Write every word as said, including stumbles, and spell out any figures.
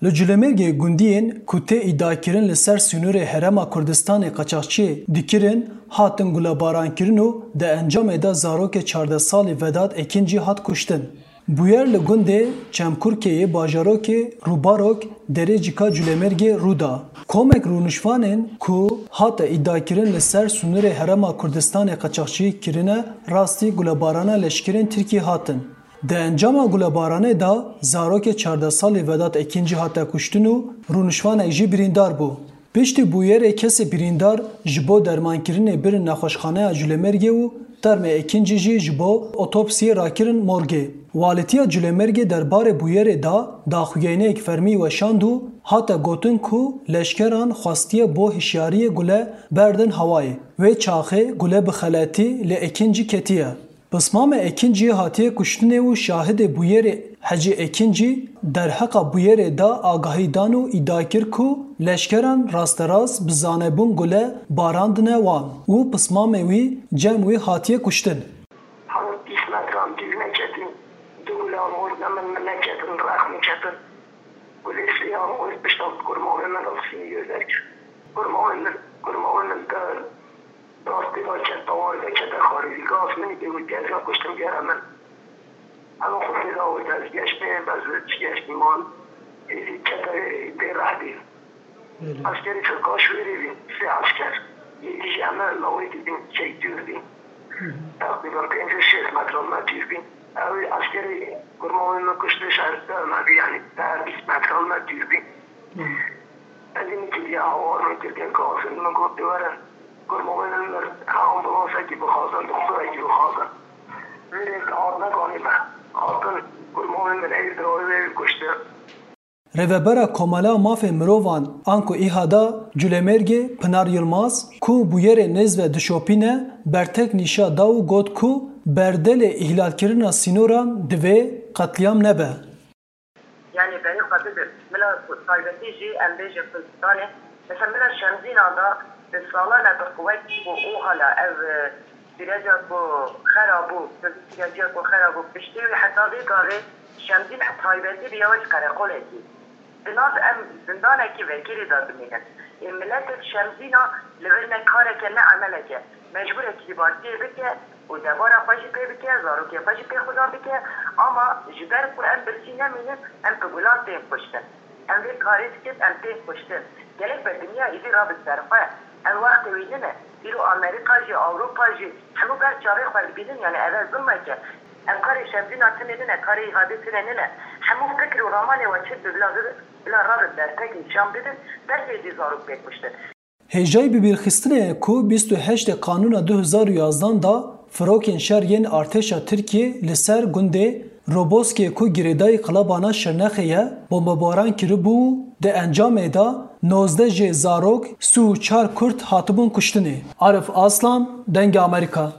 Li Culêmêrgê gundiyên ku tê îdiakirin li ser sînorê Herêma Kurdistanê qaçaxçiyê dikirin, hatin gulebarankirin û di encamê de zarokê çardeh salî Vedat Ekincî hat kuştin. Bûyer li gundê Çemkurkeyê bajarokê Rûbarok derê cika Culêmêrgê rû da. Komek rûnişvanên ku hate îdiakirin li ser sînorê Herêma Kurdistanê qaçaxçiyê kirine, rastî gulebarana leşkerên Tirkî hatin. Di encama gulebaranê de zarokê çardeh salî Vedat Ekincî hate kuştin û rûnişvanek jî birîndar bû. Piştî bûyerê kesê birîndar ji bo dermankirinê birin nexweşxaneya Culêmêrgê û termê Ekincî jî ji bo otopsiyê rakirin morgê. Walîtiya Culêmêrgê derbarê bûyerê de daxuyaniyek fermî weşand û hate gotin ku leşkeran xwestiye bo hişyariyê gule berdin hewayê. Wê çaxê gule bi xeletî li Ekincî ketiye. Pismamê Ekincî hatiye kuştinê û şahidê bûyerê Hecî Ekincî derheqa bûyerê de agahî dan û îdia kir ku leşkeran rasterast bi zanebûn gule barandine wan û pismamê wî cem wî hatiye kuştin. Hemû bîst metran dûr neketin, du gulan xurt ne min, min neketin, rex min ketin. Gulê sê an xurt pişta kurmavê min rexsînî yê derkir. Kurmavê min, kurmavê min der. Rastî ve çend tawar vekete xarî, gaz min ê û tezga kuştin gere min. Eva xwe pê da û ez geştê, ez çi geştî mal, êdî kete pê rehdî. Belê. Askerî Tirka şûrî bî, sê asker. Êdî jî em lawê dibîn, çek dûr bî. Hı hı. Teqrîben pêncî şêst metre me dûr bî. Ew askerî kurmavê min kuştî şerî me bî, yanî te bîst metre me dûr bî. Hı. Ez ê min kiriye hawar, min kiriye gazin, min got, "Were, kurmavê min mir, ha ambulansekî bixwazin, doktorekî bixwazin." Min ê hat nekanî me. Hatin, kurmavê min ê dirawê wê kuştin. Rêvebera Komela Mafê Mirovan, anku îhada Culêmêrgê Pinar Yilmaz, ku bûyerê nêz ve dişopîne, bertek nîşa da û got ku berdelê îhlalkirina sînoran divê qetlîam nebe. Yanî berê xwe bidim. Bila taybetî jî em bêjin Kurdistanê. Mesela bila Şemzîna da bi salan e bi quwet bû û hala ev, e, süreciya ku xera bû, süreciya ku xera bû, piştî wî heta vê gavê Şemzîn taybetî bûye wek qereqolekî. Di nav em zindanekî vekirî de dimînin. Ê miletê Şemzîna li vir ne kareke ne emeleke. Mecbûr e kîbartiyê bike û debara xwe jî pê bike, zarokê xwe jî pê xudan bike, ama ji ber ku em birsî nemînin, em bi gulan tên kuştin. Em vê karê dikin, em tên kuştin. Gelek be dinya îdî rabe ser xwe. Ev wextê wî nine. Îro Amerîka jî, Ewropa jî, hemû ber çavê xwe dibînin, yanî ev e zilmeke. Ev karê Şemzîna tune nine, karê Îhadê tune nine. Hemû fikr û ramanê we çi bi bila, bila rabin bertek nîşan bidin, ber tê jî zarok pê kuştin. Hêjayî bibîrxistinê ye ku bîst û heştê Kanûna du hezar û yazdan de firokên şer yên artêşa Tirkiyê li ser gundê Roboskê ku girêdayî qilabana Şirnexê ye, bombebaran kiribû û di encamê de nozdeh jê zarok, sî û çar Kurd hatibûn kuştinê. Arif Aslan, Dengê Amerîka.